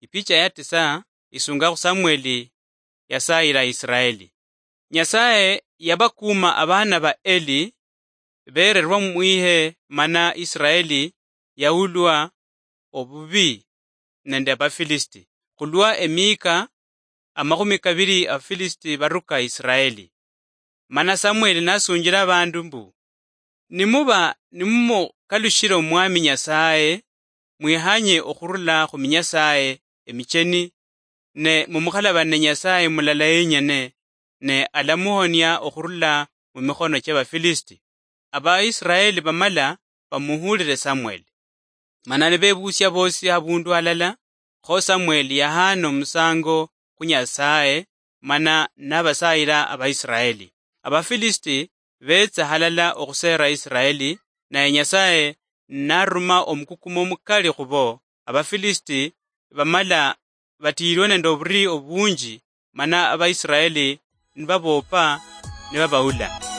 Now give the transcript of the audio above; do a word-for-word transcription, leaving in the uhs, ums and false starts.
Ipicha ya tisa isunga khu Samueli yasayira Israeli. Nyasaye yabakuuma abaana ba Eli bererwa mwihe, mana Israeli yaulwa obubi nende Abafilisiti. Khulwa emiika amakhumi kabiri Abafilisiti baruka Israeli. Mana Samueli nasunjila abandu mbu, "Nimuba nimumukalushile Omwami Nyasaye, mwihanye okhurula khu minyasaye emicheni, ne mumukhalabane Nyasaye mulala yenyene, ne alamuhonia okhurula mu mikhono chia Bafilisiti." Abaisraeli bamala bamuhulile Samueli. Mana nibebusia bosi habundu halala, kho Samueli yahana omusango khu Nyasaye, mana nabasayila Abaisraeli. Abafilisiti betsa halala okhusera Israeli, naye Nyasaye naruma omukukumo omukali khubo, Abafilisiti bamala batiyirwe nende oburi obunji, mana Abaisraeli nibaboopa nibabaula.